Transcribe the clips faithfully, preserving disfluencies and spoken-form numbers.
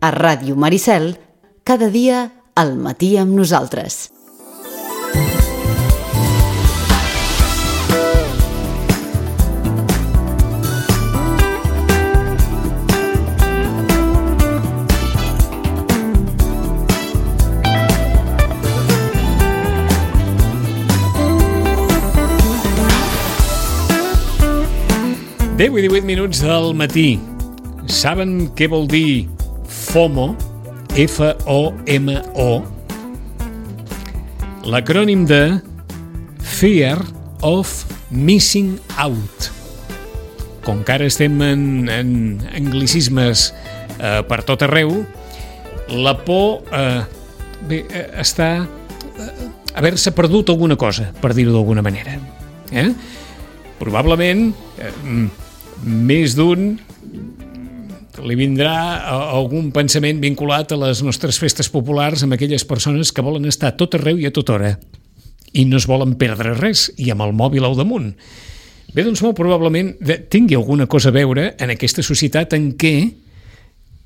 A Ràdio Maricel, cada dia al matí amb nosaltres. deu i divuit minuts del matí. Saben què vol dir FOMO? F O M O. L'acrònim de Fear of Missing Out. Com que ara estem en, en anglicismes eh, per tot arreu, la por eh, bé, eh, està eh, haver-se perdut alguna cosa, per dir-ho d'alguna manera. Eh? Probablement eh, més d'un li vindrà algun pensament vinculat a les nostres festes populars amb aquelles persones que volen estar a tot arreu i a tota hora i no es volen perdre res i amb el mòbil al damunt. Bé, doncs molt probablement tingui alguna cosa a veure en aquesta societat en què,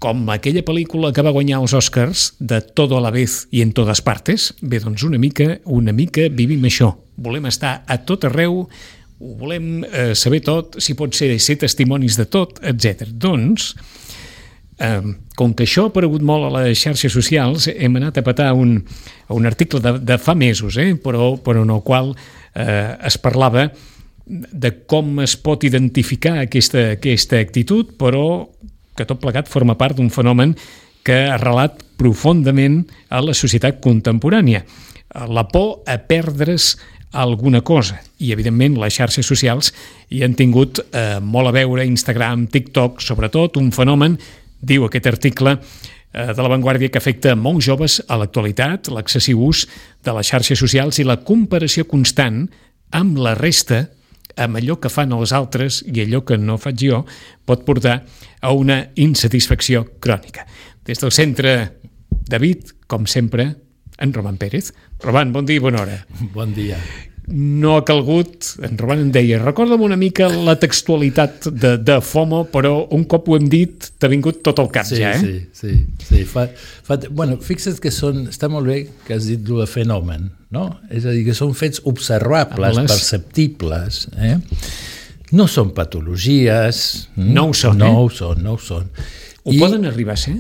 com aquella pel·lícula que va guanyar els Oscars de Todo a la vez i en totes partes, bé, doncs una mica, una mica vivim això. Volem estar a tot arreu, ho volem eh, saber tot, si pot ser ser testimonis de tot, etcètera. Doncs, eh, com que això ha aparegut molt a les xarxes socials, hem anat a petar un, un article de, de fa mesos, eh, però, però en el qual eh, es parlava de com es pot identificar aquesta, aquesta actitud, però que tot plegat forma part d'un fenomen que ha arrelat profundament a la societat contemporània. La por a perdre's alguna cosa, i evidentment les xarxes socials hi han tingut eh, molt a veure, Instagram, TikTok, sobretot un fenomen, diu aquest article eh, de La Vanguardia, que afecta molts joves a l'actualitat, l'excessiu ús de les xarxes socials i la comparació constant amb la resta, amb allò que fan els altres i allò que no faig jo, pot portar a una insatisfacció crònica. Des del centre, David, com sempre, en Roman Pérez. Roman, bon dia i bona hora. Bon dia. No ha calgut, en Roman em deia, recorda'm una mica la textualitat de, de FOMO, però un cop ho hem dit, t'ha vingut tot el cap sí, ja, eh? Sí, sí, sí. Fa, fa, bueno, fixa't que són, està molt bé que has dit el fenomen, no? És a dir, que són fets observables, les... perceptibles, eh? No són patologies. No ho són, no eh? No ho són, no ho són. Ho I... poden arribar a ser?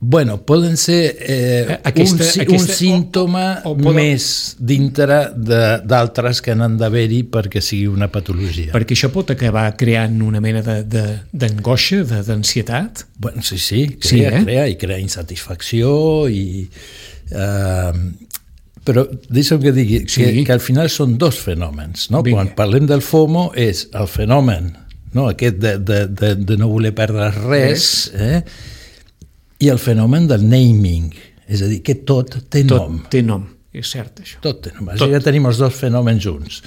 Bueno, poden ser eh, aquesta, un, aquesta, un símptoma o, o poden... més dintre d'altres que n'han d'haver-hi perquè sigui una patologia. Perquè això pot acabar creant una mena d'angoixa, de, de, d'ansietat? Bueno, sí, sí, crea, sí eh? crea i crea insatisfacció i... Eh, però deixa'm que digui sí. que, que al final són dos fenòmens, no? Quan parlem del FOMO és el fenomen, no? Aquest de, de, de, de no voler perdre res, eh? I el fenomen del naming, és a dir, que tot té tot nom. Tot té nom, és cert això. Tot té nom, tot. Ja tenim els dos fenòmens junts.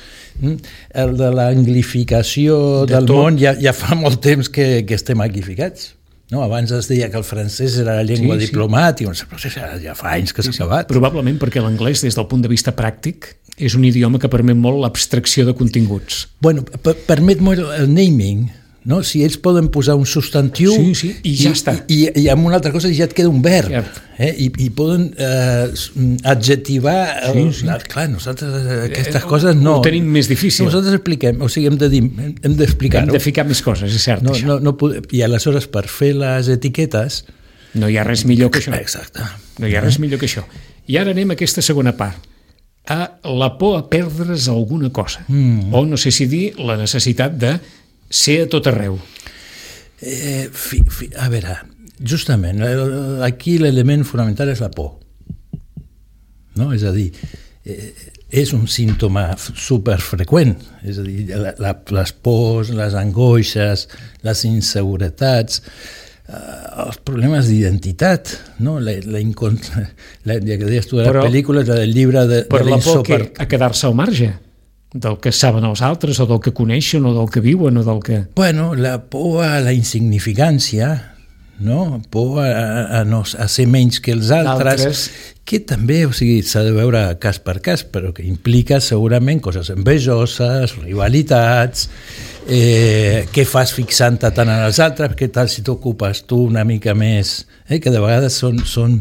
El de l'anglificació de del tot. Món ja, ja fa molt temps que, que estem anglificats. No, abans es deia que el francès era la llengua sí, diplomàtica, sí. Ja fa anys que s'ha sí, acabat. Sí. Probablement perquè l'anglès, des del punt de vista pràctic, és un idioma que permet molt l'abstracció de continguts. Bueno, permet molt el naming. No? Si ells poden posar un substantiu sí, sí, i ja i, està. I, i, i amb una altra cosa ja et queda un verb. Eh? I, I poden eh, adjetivar... Sí, el, sí. Clar, nosaltres aquestes eh, coses no... Ho tenim més difícil. Nosaltres expliquem, o sigui, hem de dir, hem d'explicar-ho. Hem de ficar més coses, és cert, no, això. No, no pod... I aleshores, per fer les etiquetes... No hi ha res millor que això. Exacte. No hi ha res millor que això. I ara anem a aquesta segona part. A la por a perdre's alguna cosa. Mm. O, no sé si dir, la necessitat de ser a tot arreu. Eh, fi, fi, a veure, justament, aquí l'element fonamental és la por. No? És a dir, eh, és un símptoma superfreqüent, és a dir, la, la, les pors, les angoixes, les inseguretats, eh, els problemes d'identitat, no? la, la, incon... la, ja que deies tu de la però, pel·lícula, del llibre de, per de la por que, a quedar-se al marge del que saben els altres, o del que coneixen, o del que viuen, o del que... Bueno, la por a la insignificància, no? Por a, a, no, a ser menys que els altres, que també, o sigui, s'ha de veure cas per cas, però que implica segurament coses envejoses, rivalitats, eh, què fas fixant-te tant en els altres, què tal si t'ocupes tu una mica més, eh, que de vegades són, són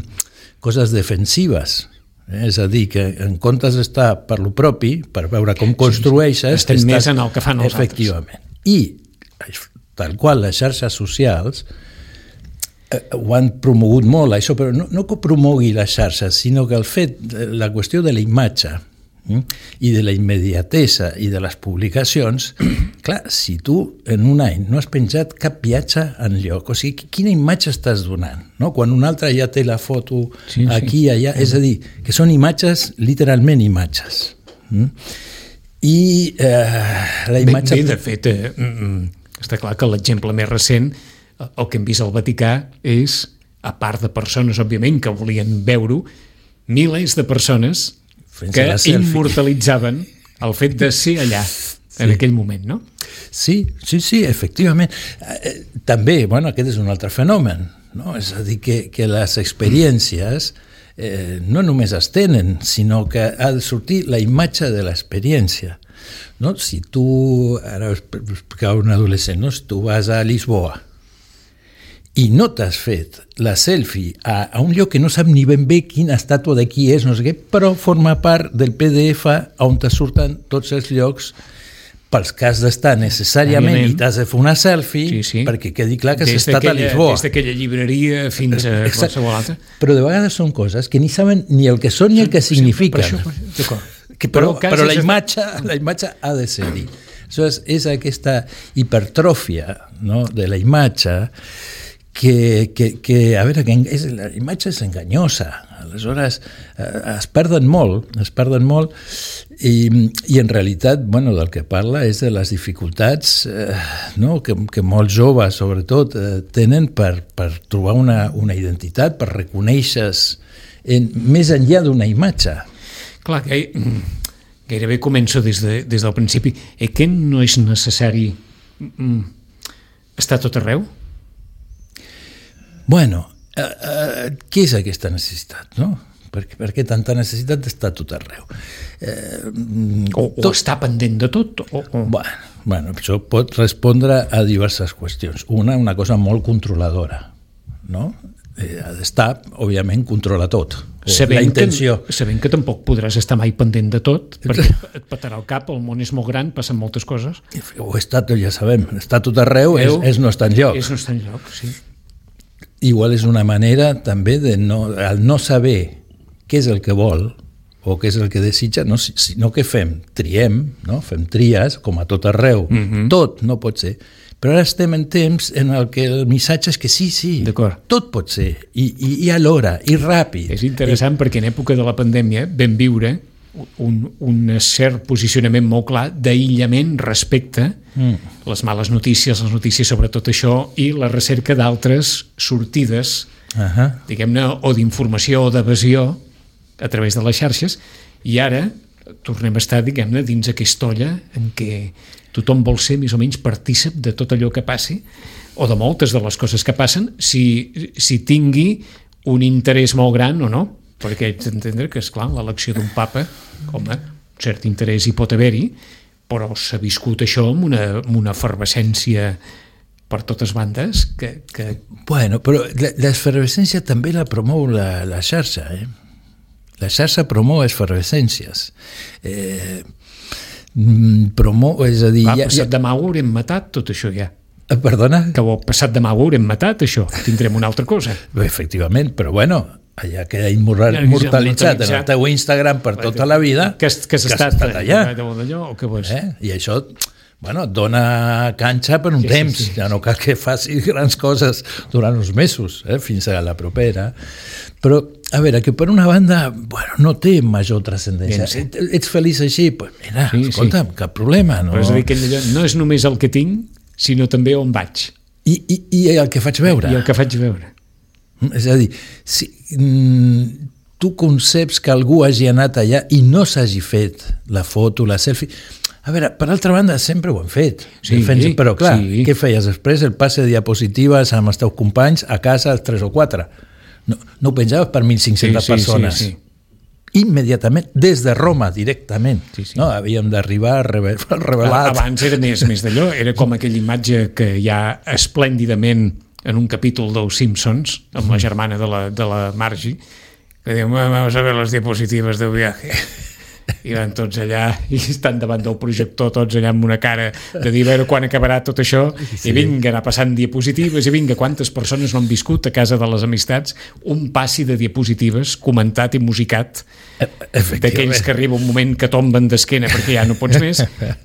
coses defensives. Eh? És a dir, que en comptes d'estar per lo propi, per veure com construeixes... Estem estàs, més en el que fan els efectivament. Altres. I, tal qual, les xarxes socials eh, ho han promogut molt, això, però no, no que promogui les xarxes, sinó que el fet, la qüestió de la imatge eh, i de la immediatesa i de les publicacions, clar, si tu en un any no has penjat cap viatge en lloc, o sigui, quina imatge estàs donant? No? Quan un altre ja té la foto sí, aquí, sí. allà, és a dir, que són imatges, literalment imatges. Mm? I eh, la imatge... Bé, bé de fet, eh, està clar que l'exemple més recent, el que hem vist al Vaticà, és, a part de persones, òbviament, que volien veure-ho, milers de persones que immortalitzaven el fet de ser allà, sí. en aquell moment, no? Sí, sí, sí, efectivament. Eh, també, bueno, aquest és un altre fenomen, no? És a dir, que, que les experiències eh, no només es tenen, sinó que ha de sortir la imatge de l'experiència. No? Si tu, ara explicava un adolescent, no? Si tu vas a Lisboa i no t'has fet la selfie a, a un lloc que no sap ni ben bé quina estàtua de qui és, no sé què, però forma part del P D F on te surten tots els llocs pels que has d'estar necessàriament i t'has de fer una selfie sí, sí. perquè quedi clar que has estat a Lisboa. Des d'aquella llibreria fins a qualsevol altra. Però de vegades són coses que ni saben ni el que són ni el que signifiquen. Per això, d'acord. Que, però, però, però la, imatge, la imatge ha de ser-hi. Aleshores, és aquesta hipertròfia, no?, de la imatge que, que, que a veure, que és, la imatge és enganyosa. Aleshores, eh, es perden molt, es perden molt i, i en realitat, bueno, del que parla és de les dificultats eh, no?, que, que molts joves, sobretot, eh, tenen per, per trobar una, una identitat, per reconèixer-se en, més enllà d'una imatge. Clar, que gairebé començo des, de, des del principi. Eh, que no és necessari mm, estar tot arreu? Bueno, eh, eh, què és aquesta necessitat, no? Per, per què tanta necessitat d'estar tot arreu? Eh, o, o tot... estar pendent de tot? O, o... Bueno, bueno, això pot respondre a diverses qüestions. Una, una cosa molt controladora, no? Eh, ha d'estar, òbviament, controla tot. Sabent la intenció. Que, sabent que tampoc podràs estar mai pendent de tot, perquè et petarà el cap, el món és molt gran, passen moltes coses. O està, ja sabem, està tot arreu, és, és no estar enlloc. És no estar enlloc, sí. Igual és una manera també de no, al no saber què és el que vol o què és el que desitja, no, sinó que fem, triem, no? Fem tries, com a tot arreu, mm-hmm. tot no pot ser. Però ara estem en temps en el que el missatge és que sí, sí, tot pot ser, i, i, i a l'hora, i ràpid. És interessant I... perquè en època de la pandèmia vam viure un, un cert posicionament molt clar d'aïllament respecte mm. les males notícies, les notícies sobre tot això i la recerca d'altres sortides, uh-huh. diguem-ne, o d'informació o d'evasió a través de les xarxes, i ara tornem a estar, diguem-ne, dins aquesta olla en què tothom vol ser més o menys partícip de tot allò que passi, o de moltes de les coses que passen, si, si tingui un interès molt gran o no, perquè haig d'entendre que, esclar, l'elecció d'un papa, home, un cert interès hi pot haver-hi, però s'ha viscut això amb una, amb una efervescència per totes bandes que... que... Bueno, però l'esfervescència també la promou la, la xarxa, eh? La xarxa promou efervescències. Eh... Promou, és a dir... Va, ja, passat ja... demà ho haurem matat, tot això ja. Perdona? Que ho passat demà ho haurem matat, això. Tindrem una altra cosa. Efectivament, però bueno, allà queda immortalitzat en el teu Instagram per tota la vida, que has, que has, que has estat, estat allà. allà o què vols? Eh? I això, bueno, et dona canxa per un sí, temps. Sí, sí, ja no cal que facis grans coses durant uns mesos, eh? Fins a la propera. Però, a veure, que per una banda, bueno, no té major transcendència. Sí. Ets feliç així? Pues mira, sí, escolta'm, sí. Cap problema. No? Però és a dir, que no és només el que tinc, sinó també on vaig. I, i, i el que faig veure. I el que faig veure. És a dir, si mm, tu conceps que algú hagi anat allà i no s'hagi fet la foto, la selfie... A veure, per altra banda, sempre ho hem fet. Sí, Defensa, però clar, sí. Què feies després? El passe de diapositives amb els teus companys a casa, els tres o quatre. No, no ho penjaves per mil cinc-centes sí, sí, persones. Sí, sí. immediatament, des de Roma directament. Sí, sí. No? Havíem d'arribar revelat. Abans era més, més d'allò, era com aquella imatge que hi ha esplèndidament en un capítol dels Simpsons, amb la germana de la, de la Margie, que diu, vamos a ver las diapositivas del viaje. I van tots allà i estan davant del projector tots allà amb una cara de dir a veure quan acabarà tot això, sí. I vinga, anar passant diapositives, i vinga, quantes persones no han viscut a casa de les amistats un passi de diapositives comentat i musicat, d'aquells que arriba un moment que tomben d'esquena perquè ja no pots més.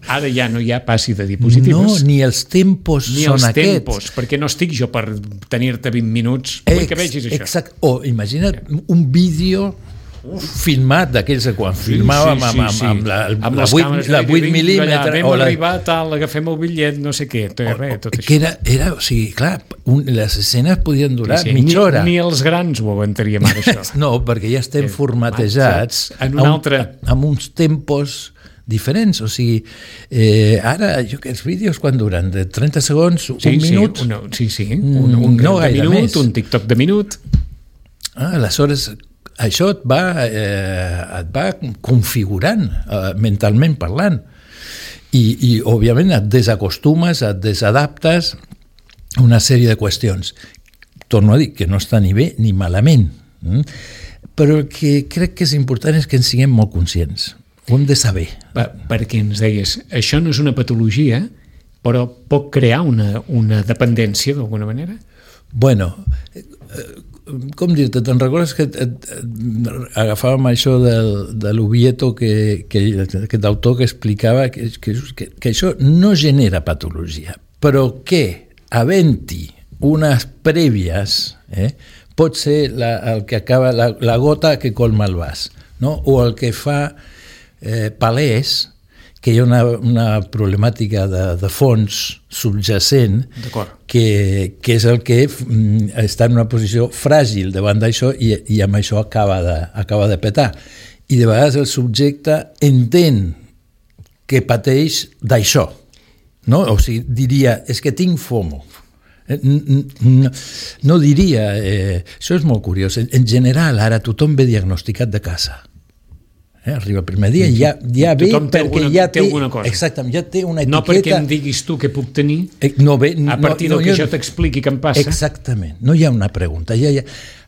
Ara ja no hi ha passi de diapositives. No, ni els tempos ni són els aquests. tempos, perquè no estic jo per tenir-te vint minuts. Vull que vegis això. Exacte. O imagina't un vídeo Uf. filmat d'aquells que quan sí, filmàvem sí, sí, amb, sí. amb, la, amb la, vuit, la vuit mil·límetres vam la... arribar tal, agafem el bitllet, no sé què, tot, res, tot que era, era, o sigui, clar, un, les escenes podien durar sí, sí. mitja hora. Ni, ni els grans ho aguantaríem ara, això. No, perquè ja estem eh, formatejats en un altre... amb uns tempos diferents, o sigui, eh, ara jo que els vídeos quan duren de trenta segons, sí, un sí, minut, una, sí, sí, un, un, un no de minut, més. Un TikTok de minut. Ah, aleshores això et va, eh, et va configurant eh, mentalment parlant i, i òbviament et desacostumes, et desadaptes a una sèrie de qüestions. Torno a dir que no està ni bé ni malament, mm? Però el que crec que és important és que en siguem molt conscients, ho hem de saber. Va, perquè ens deies, això no és una patologia, però pot crear una, una dependència d'alguna manera? Bueno, eh, com dir-te, te'n recordes que et, et, et agafàvem això del, de l'Ubieto, que, que aquest autor que explicava que, que, que això no genera patologia, però que, havent-hi unes prèvies, eh, pot ser la, el que acaba, la, la gota que colma el vas, no? O el que fa eh, palès que hi ha una, una problemàtica de, de fons subjacent que, que és el que mm, està en una posició fràgil davant d'això i, i amb això acaba de, acaba de petar. I de vegades el subjecte entén que pateix d'això, no? O sigui, diria, és que tinc FOMO. No, no diria, eh, això és molt curiós, en general ara tothom ve diagnosticat de casa. Eh, arriba el primer dia i ja, ja ve perquè alguna, ja té, té cosa. Exactament, ja té una etiqueta. No perquè em diguis tu què puc tenir, eh, no ve, a partir no, del no, que jo t'expliqui què em passa. Exactament, no hi ha una pregunta. Ja, ja.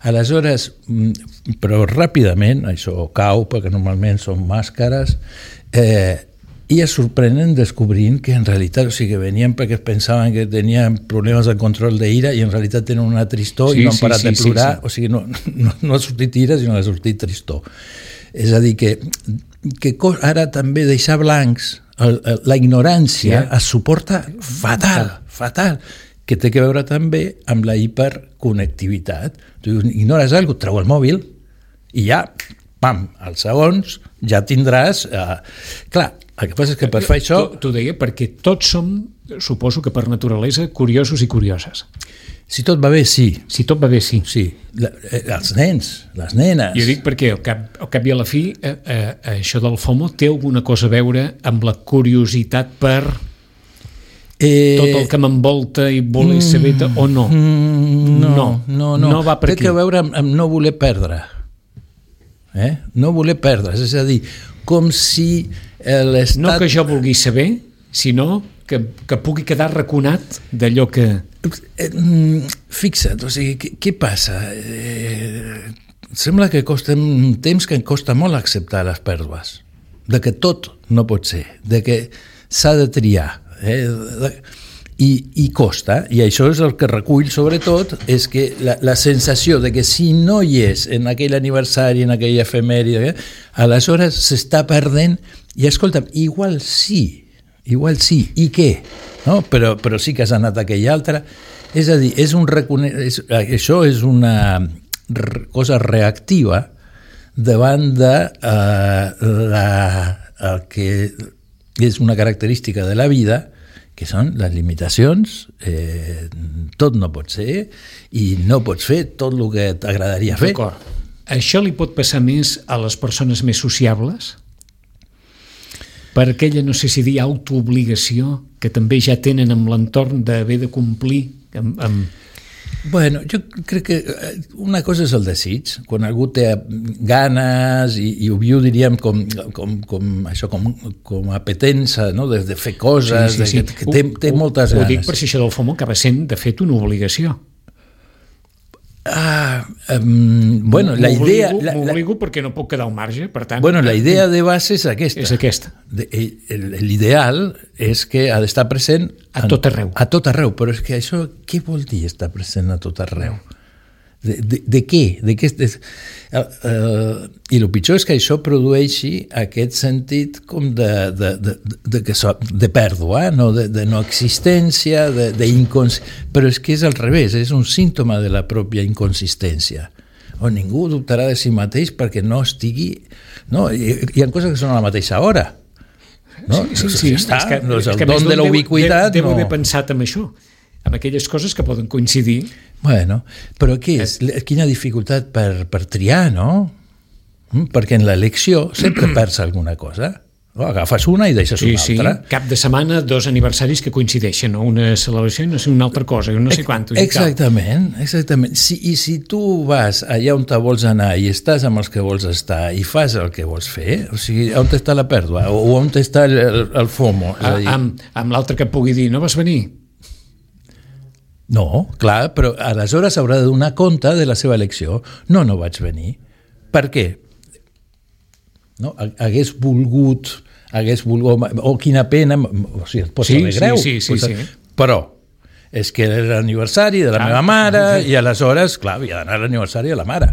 Aleshores, però ràpidament, això cau, perquè normalment són màscares, eh, i es sorprenen descobrint que en realitat, o sigui, que venien perquè pensaven que tenien problemes de control d'ira i en realitat tenen una tristor sí, i no han parat sí, sí, de plorar, sí, sí. O sigui, no, no, no ha sortit ira, sinó que ha sortit tristor. És a dir, que, que ara també deixar blancs, el, el, la ignorància sí. es suporta fatal, fatal, que té que veure també amb la hiperconnectivitat. Tu ignores alguna cosa, treu el mòbil i ja, pam, als segons ja tindràs... Eh, clar, el que passa és que per fer això... T'ho deia perquè tots som, suposo que per naturalesa, curiosos i curioses. Si tot va bé, sí. Si tot va bé, sí. Sí, la, els nens, les nenes... Jo dic perquè al cap, al cap i a la fi eh, eh, això del FOMO té alguna cosa a veure amb la curiositat per eh, tot el que m'envolta i voler mm, saber o no? Mm, no, no, no, no. No va per aquí. Té que veure amb, amb no voler perdre. Eh? No voler perdre, és a dir, com si l'estat... No que jo vulgui saber, sinó que, que pugui quedar raconat d'allò que... Fixa't, o sigui, què, què passa? Eh, sembla que costa un temps que em costa molt acceptar les pèrdues, de que tot no pot ser, de que s'ha de triar, eh? de, i, i costa, i això és el que recull sobretot, és que la, la sensació de que si no hi és en aquell aniversari, en aquella efemèride, aleshores s'està perdent, i escolta'm, igual sí, igual sí, i què? No? Però, però sí que has anat a aquell altre. És a dir, és un recone... és, això és una re... cosa reactiva davant de eh, la, el que és una característica de la vida, que són les limitacions, eh, tot no pot ser, i no pots fer tot el que t'agradaria fer. D'acord. Això li pot passar més a les persones més sociables? Per aquella, no sé si dir, autoobligació que també ja tenen amb l'entorn d'haver de complir amb, amb... Bueno, jo crec que una cosa és el desig, quan algú té ganes i, i ho viu, diríem, com, com, com, això, com, com apetença, no? de, de fer coses, sí, sí, sí. De, que, que té, té ho, moltes ho, ganes. Ho dic per si això del FOMO acaba sent, de fet, una obligació. Ah, um, bueno, la idea... M'obligo perquè no puc quedar al marge, per tant... Bueno, la idea de base és aquesta. És aquesta. L'ideal és que ha d'estar present... A tot arreu. A tot arreu, però és que això, què vol dir estar present a tot arreu? De, de, de què? De què de, uh, uh, I el pitjor és que això produeixi aquest sentit com de, de, de, de, de, de pèrdua, no? de, de no existència, de, de incons... però és que és al revés, és un símptoma de la pròpia inconsistència, on ningú dubtarà de si mateix perquè no estigui... No? Hi, hi ha coses que són a la mateixa hora. No? Sí, sí, sí. Està, és que, no és el és que don de la ubiquitat. Devo, devo no. haver pensat en això, amb aquelles coses que poden coincidir. Bueno, però què és? Quina dificultat per, per triar, no? Perquè en l'elecció sempre perds alguna cosa. No? Agafes una i deixes sí, una altra. Sí, cap de setmana, dos aniversaris que coincideixen, no? Una celebració i no sé, una altra cosa, no sé quantos. Exactament, exactament. Si, I si tu vas allà on te vols anar i estàs amb els que vols estar i fas el que vols fer, o sigui, on està la pèrdua? O on està el, el, el FOMO? A, dir... Amb, amb l'altre que pugui dir, no vas venir? No, clar, però aleshores haurà de donar compte de la seva elecció. No, no vaig venir. Per què? No? Hagués volgut, hagués volgut, o quina pena, o sigui, et pot sí, saber greu. Sí, sí, sí, sí. sí. Però és que era l'aniversari de la ah, meva mare sí. I aleshores, clar, havia d'anar a l'aniversari de la mare.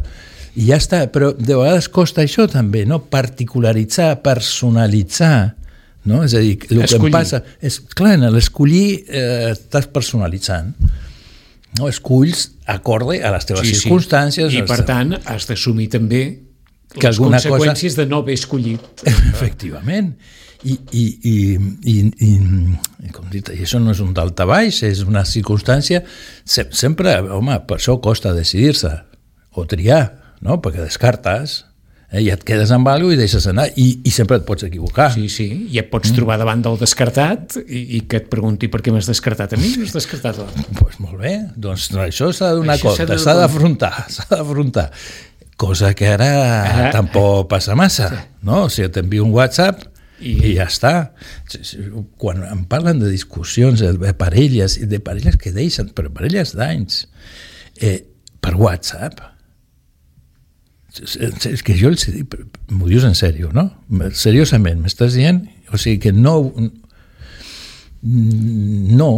I ja està, però de vegades costa això també, no? Particularitzar, personalitzar. No? És a dir, el escollir. Que em passa és, clar, en l'escollir eh, estàs personalitzant, no? Esculls acorde a les teves sí, circumstàncies sí. I per teus... tant has d'assumir també que les conseqüències cosa... de no haver escollit. Efectivament. I, i, i, i, i, com dit, i això no és un daltabaix, és una circumstància sempre, home, per això costa decidir-se o triar, no? Perquè descartes. Eh, i et quedes amb alguna cosa i deixes anar i, i sempre et pots equivocar. Sí, sí, i et pots mm. trobar davant del descartat i, i que et pregunti per què m'has descartat a mi i m'has descartat a l'altre. Pues molt bé, doncs això s'ha de donar compte, s'ha d'afrontar, s'ha d'afrontar. Cosa que ara ah. tampoc passa massa, no? O sigui, t'envio un WhatsApp i, i ja està. Quan em parlen de discussions de parelles, de parelles que deixen, però parelles d'anys, eh, per WhatsApp, és que jo els dic, m'ho dius en sèrio, no? Seriosament, m'estàs dient? O sigui que no, no,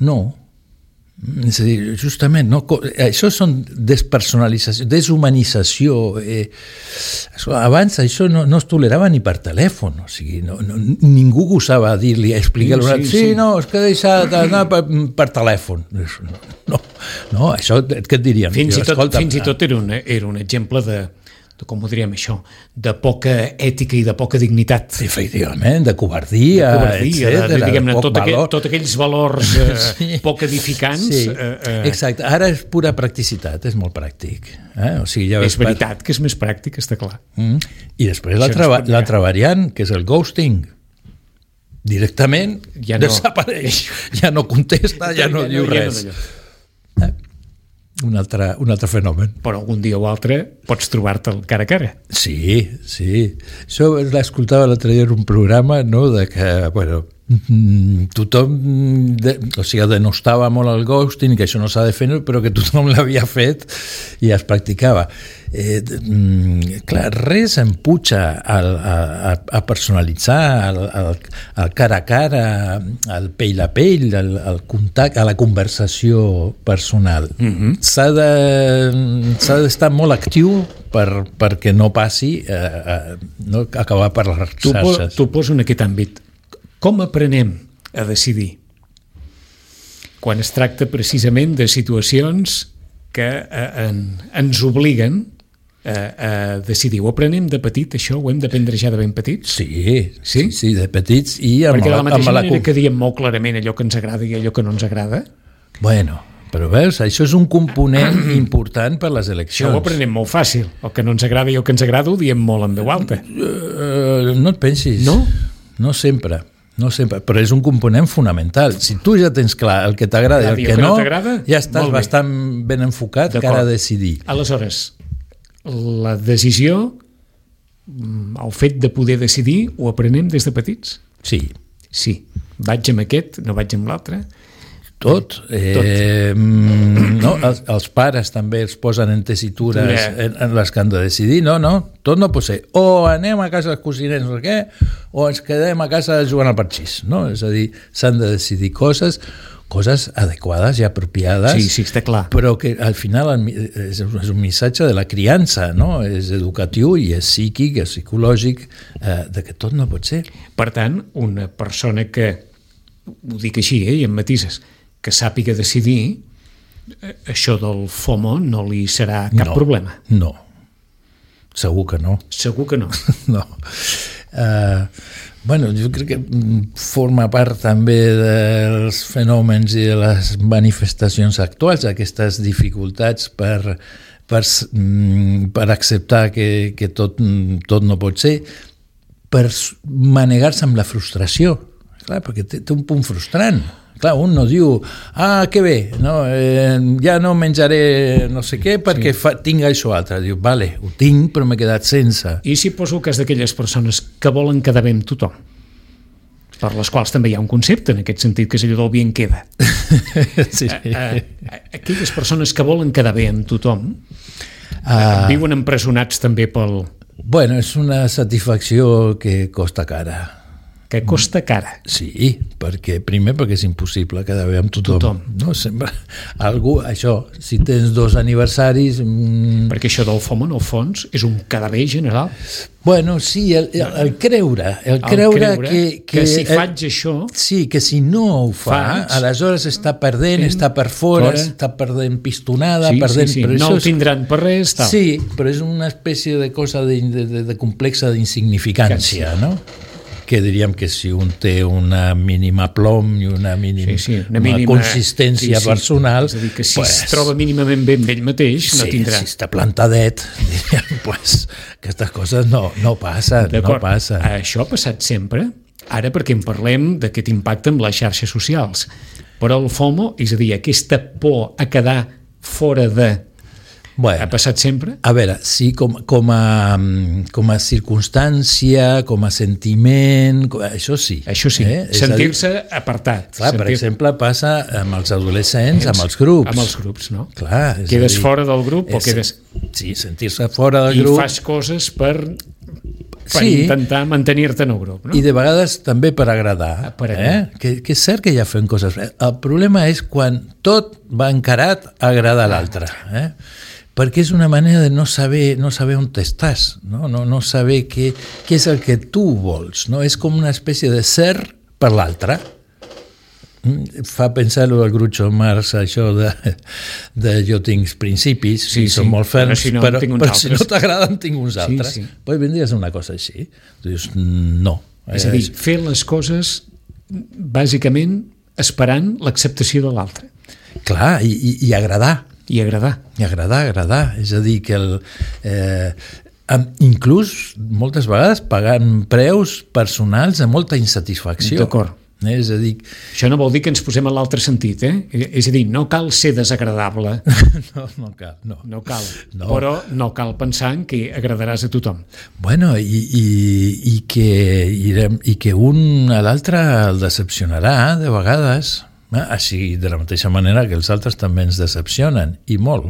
no, és a dir, justament, no, això són despersonalització, deshumanització. Eh, abans això no, no es tolerava ni per telèfon, o sigui, no, no, ningú gosava dir-li, explicar-li, sí, sí, sí, sí, no, és que he deixat anar per, per telèfon. No, no, això, què et dirien? Fins, jo, i, tot, escolta, fins i tot era un, era un exemple de, de, com ho diríem això, de poca ètica i de poca dignitat. Efectivament, de covardia, de covardia etcètera, diguem-ne, poc tot, valor. aquell, tot aquells valors eh, sí. poc edificants. Sí. Eh, eh. Exacte, ara és pura practicitat, és molt pràctic. Eh? O sigui, ja és veritat per... que és més pràctic, està clar. Mm. I després l'altra no variant, que és el ghosting. Directament ja no... desapareix, ja no contesta, ja no ja diu no, res. Ja no, eh? Un altre, un altre fenomen. Però algun dia o altre pots trobar-te'l cara a cara. Sí, sí. Això l'escoltava l'altre dia en un programa, no?, de que, bueno, tothom, de, o sigui, denostava molt el ghosting, que això no s'ha de fer, però que tothom l'havia fet i es practicava. Eh, clar, res empuja al, a, a personalitzar, al, al, al cara a cara, al pell a pell, al, al contacte, a la conversació personal. Mm-hmm. S'ha de, s'ha d'estar molt actiu per, perquè no passi a, a no acabar per les xarxes. T'ho poso en aquest àmbit. Com aprenem a decidir? Quan es tracta precisament de situacions que eh, en, ens obliguen a, a decidir. Ho aprenem de petit, això? Ho hem d'aprendre ja de ben petits? Sí, sí, sí, de petits. I amb Perquè de la mateixa amb manera la... que diem molt clarament allò que ens agrada i allò que no ens agrada. Bueno, però veus, això és un component important per les eleccions. Això ho aprenem molt fàcil. El que no ens agrada i el que ens agrada ho diem molt en veu alta. Uh, no et pensis. No? No sempre. No sempre, però és un component fonamental. Si tu ja tens clar el que t'agrada i el que, que no, no ja estàs bastant ben enfocat cara a decidir. Aleshores, la decisió, el fet de poder decidir, ho aprenem des de petits? Sí. Sí. Vaig amb aquest, no vaig amb l'altre? Tot. Eh, no? els, els pares també els posen en tessitures en, en les que han de decidir. No, no, tot no pot ser. O anem a casa dels cosiners o què, o ens quedem a casa jugant al parxís. No? És a dir, s'han de decidir coses coses adequades i apropiades, sí, sí, està clar. Però que al final és un missatge de la criança, no? És educatiu i és psíquic, és psicològic, eh, de que tot no pot ser. Per tant, una persona que, ho dic així, eh, i amb matises, que sàpiga decidir, això del FOMO no li serà cap no, problema. No, segur que no. Segur que no. No. Uh, bueno, jo crec que forma part també dels fenòmens i de les manifestacions actuals, aquestes dificultats per, per, per acceptar que, que tot, tot no pot ser, per manegar-se amb la frustració. Clar, perquè té, té un punt frustrant. Clar, un no diu, ah, que bé, no, eh, ja no menjaré no sé què perquè sí. fa, tinc això altre. Diu, vale, ho tinc, però m'he quedat sense. I si poso el cas d'aquelles persones que volen quedar bé amb tothom, per les quals també hi ha un concepte, en aquest sentit, que és allò del bien queda. Sí. A, a, aquelles persones que volen quedar bé amb tothom, uh, viuen empresonats també pel... Bueno, és una satisfacció que costa cara. Que costa cara. Sí, perquè primer perquè és impossible quedar bé amb tothom. tothom. No, sempre algú, això, si tens dos aniversaris... Mmm... Perquè això del FOMO, en el fons, és un quedar bé general. Bueno, sí, el, el, el creure, el, el creure, creure que, que, que si el, faig això... Sí, que si no ho fa, faig, aleshores està perdent, fent, està per fora, fora, està perdent pistonada, sí, perdent... Sí, sí, no el tindran per res, tal. Sí, però és una espècie de cosa de, de, de, de complexa d'insignificància, no? Que diríem que si un té una mínima plom i una mínima, sí, sí, una mínima una consistència sí, sí. personal... És a dir, que si pues, es troba mínimament bé amb ell mateix, sí, no tindrà... Si està plantadet, diríem, pues, aquestes coses no, no passen, no passen. Això ha passat sempre, ara perquè en parlem d'aquest impacte amb les xarxes socials. Però el FOMO, és a dir, aquesta por a quedar fora de... Bueno, ha passat sempre? A veure, sí, com, com, a, com a circumstància, com a sentiment, com, això sí. Això sí, eh? Sentir-se dir, apartat. Clar, sentir... per exemple, passa amb els adolescents, amb els grups. Amb els grups, no? Clar, és quedes dir, fora del grup és, o quedes... Sí, sentir-se fora del I grup. I fas coses per, per sí, intentar mantenir-te en el grup, no? I de vegades també per agradar. Per agradar. Eh? Que, que és cert que ja fem coses. El problema és quan tot va encarat a agradar a l'altre, eh? Perquè és una manera de no saber, no saber on t'estàs, no? No, no saber què, què és el que tu vols, no? És com una espècie de ser per l'altre. Fa pensar el Groucho Marx, això de, de jo tinc principis, sí, i són sí, molt ferms, però si no, però, però si no t'agraden tinc uns altres. Sí, sí. Pues vindries a una cosa així. Tu dius, no. És a dir, fer les coses bàsicament esperant l'acceptació de l'altre. Clar, i, i, i agradar. I agradar. I agradar, agradar. És a dir, que el, eh, inclús moltes vegades pagant preus personals de molta insatisfacció. D'acord. Eh, és a dir... Això no vol dir que ens posem en l'altre sentit, eh? És a dir, no cal ser desagradable. No, no cal. No, no cal. No. Però no cal pensar en que agradaràs a tothom. Bueno, i, i, i, que, i, i que un a l'altre el decepcionarà de vegades... Així, de la mateixa manera que els altres també ens decepcionen, i molt.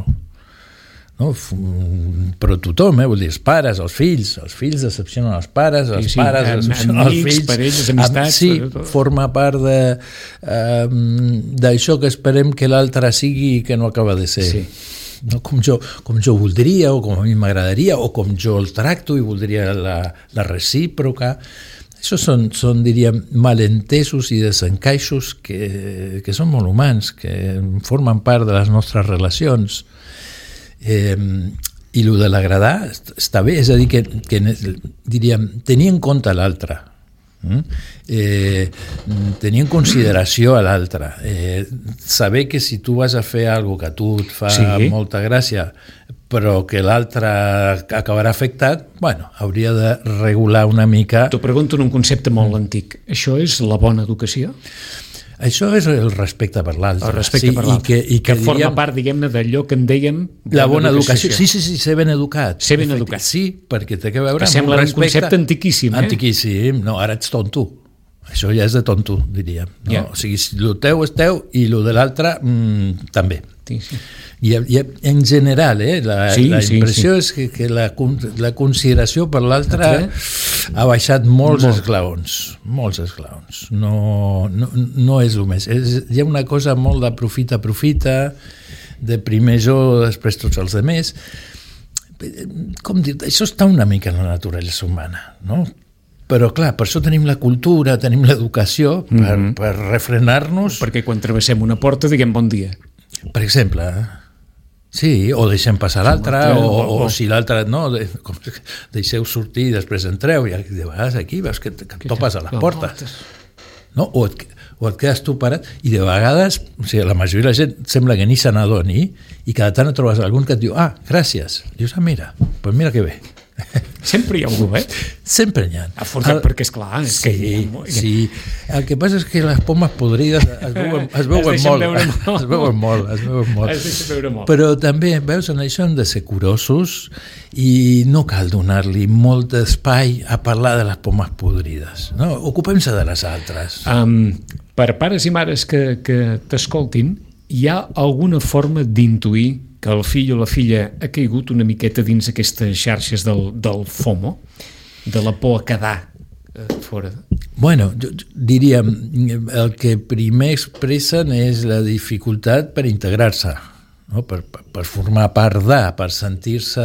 No? Però tothom, eh? Vull dir, els pares, els fills, els fills decepcionen els pares, els sí, sí. pares Am, decepcionen amics, els fills. Parelles, amistats... Sí, forma part de, um, d'això que esperem que l'altre sigui i que no acaba de ser. Sí. No? Com, jo, com jo voldria, o com a mi m'agradaria, o com jo el tracto i voldria la, la recíproca... Això són, són, diríem, malentesos i desencaixos que, que són molt humans, que formen part de les nostres relacions. Eh, I el de l'agradar està bé, és a dir, que, que diríem, tenir en compte l'altre, eh, tenir en consideració a l'altre, eh, saber que si tu vas a fer alguna cosa que a tu et fa sí. molta gràcia, però que l'altre acabarà afectat, bueno, hauria de regular una mica... T'ho pregunto en un concepte molt antic. Això és la bona educació? Això és el respecte per l'altre. El respecte sí, per l'altre. I que, i que, que forma diríem, part, diguem-ne, d'allò que en dèiem... La bona educació. Sí, sí, sí, ser ben educat. Ser ben educat. Sí, perquè té que veure que amb sembla un respecte... un concepte antiquíssim, eh? Antiquíssim. No, ara ets tonto. Això ja és de tonto, diríem. No? Yeah. O sigui, el teu és teu i el de l'altre mmm, també. Sí, sí. I, I en general, eh, la, sí, la impressió sí, sí. és que, que la, la consideració per l'altre ha baixat molts Molt. esglaons, molts esglaons. No, no, no és el més. És, hi ha una cosa molt d'aprofita, aprofita, de primer jo, després tots els altres. Com dir, això està una mica en la naturalesa humana, no? Però, clar, per això tenim la cultura, tenim l'educació, per, mm-hmm. per refrenar-nos. Perquè quan travessem una porta diguem bon dia. Per exemple, sí, o deixem passar l'altre, o, o, o si l'altre no, de, deixeu sortir i després entreu, i de vegades aquí veus que, que topes a les portes. No? O, et, o et quedes tu parat, i de vegades, o sigui, la majoria de la gent sembla que ni se n'adoni, i cada tant et trobes algun que et diu, ah, gràcies. Dius, ah, mira, pues mira que bé. Sempre hi ha algú, eh? Sempre n'hi ha. Afortunat, perquè és clar. És sí, que ha... sí. El que passa és que les pomes podrides es veuen, es veuen es molt. molt. Es veuen molt, es veuen molt. Es deixen veure molt. Però també, veus, en això hem de ser curosos i no cal donar-li molt espai a parlar de les pomes podrides. No? Ocupem-se de les altres. Um, per pares i mares que, que t'escoltin, hi ha alguna forma d'intuir que el fill o la filla ha caigut una miqueta dins aquestes xarxes del, del FOMO, de la por a quedar eh, fora? Bueno, jo, jo diríem, el que primer expressen és la dificultat per integrar-se, no? per, per, per formar part de, per sentir-se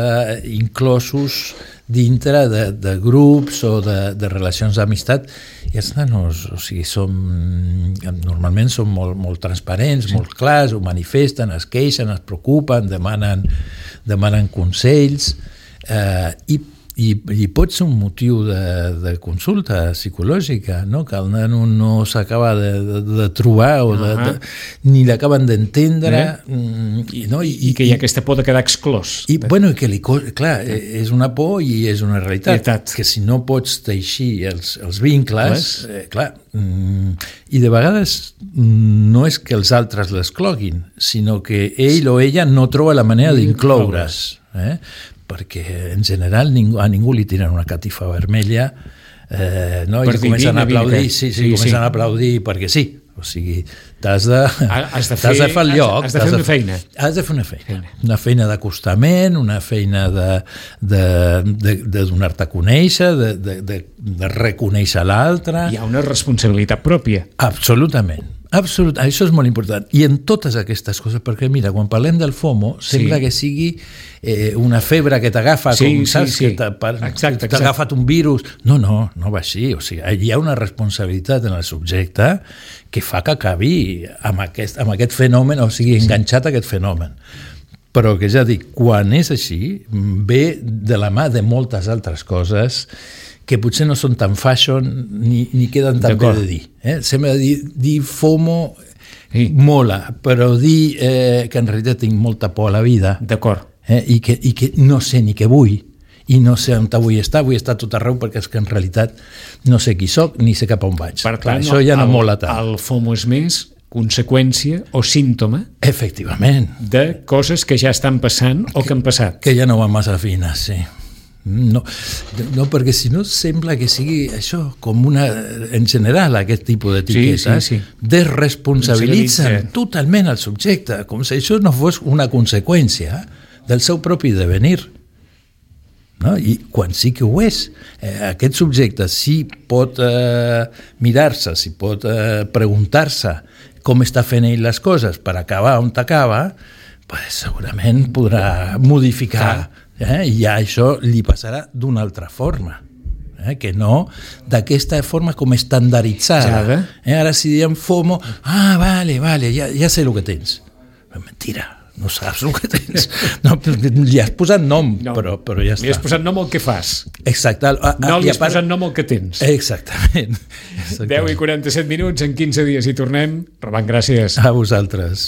inclosos dintre de, de grups o de, de relacions d'amistat. I els nanos, o sigui, som, normalment són molt, molt transparents, sí. molt clars, ho manifesten, es queixen, es preocupen, demanen, demanen consells, eh, i I, i pot ser un motiu de, de consulta psicològica, no? Que el nano no s'acaba de, de, de trobar o de, de, ni l'acaben d'entendre, eh? I, no? I, i que hi ha aquesta por de quedar exclòs. I, bueno, que li, clar, és una por i és una realitat, realitat. Que si no pots teixir els, els vincles, eh, clar, mm, i de vegades no és que els altres l'escloguin, sinó que ell o ella no troba la manera d'incloure's, eh? Perquè en general ningú, a ningú li tiren una catifa vermella, eh, no? I comencen a aplaudir, sí, sí, sí, comencen sí. a aplaudir perquè sí, o sigui, t'has de, has de, fer, de fer el lloc, has de, has de fer una feina. Has de fer una feina, una feina d'acostament, una feina de, de, de, de donar-te a conèixer, de, de, de, de reconèixer l'altre. Hi ha una responsabilitat pròpia. Absolutament. Absolut, això és molt important. I en totes aquestes coses, perquè mira, quan parlem del FOMO, sembla sí. que sigui eh, una febre que t'agafa, sí, com sí, saps, sí. que t'ha agafat un virus. No, no, no va així. O sigui, hi ha una responsabilitat en el subjecte que fa que acabi amb aquest, amb aquest fenomen, o sigui, enganxat a aquest fenomen. Però que ja dic, quan és així, ve de la mà de moltes altres coses que potser no són tan fashion ni, ni queden tan bé de dir. Eh? Sembla dir, dir FOMO sí. mola, però dir eh, que en realitat tinc molta por a la vida. D'acord. Eh? I, que, I que no sé ni què vull, i no sé on vull estar, vull estar tot arreu perquè és que en realitat no sé qui soc ni sé cap on vaig. Per tant, Clar, això ja no el, mola tant. El FOMO és més conseqüència o símptoma efectivament de coses que ja estan passant o que han passat. Que ja no van massa fines, sí. No, no, perquè si no sembla que sigui això com una, en general, aquest tipus d'etiquetes sí, sí, sí. desresponsabilitzen totalment el subjecte, com si això no fos una conseqüència del seu propi devenir. No? I quan sí que ho és, eh, aquest subjecte sí pot eh, mirar-se, sí pot eh, preguntar-se com està fent ell les coses per acabar on t'acaba, pues, segurament podrà modificar. Eh? I ja això li passarà d'una altra forma, eh? Que no d'aquesta forma com estandarditzada. Eh? Ara si diem FOMO, ah, vale, vale, ja, ja sé el que tens. Però mentira, no saps el que tens. No, li has posat nom, no, però, però ja està. Li has posat nom al que fas. Exacte. A, a, no li has part... posat nom al que tens. Exactament. Exactament. deu i quaranta-set minuts, en quinze dies hi tornem. Robant, gràcies. A vosaltres.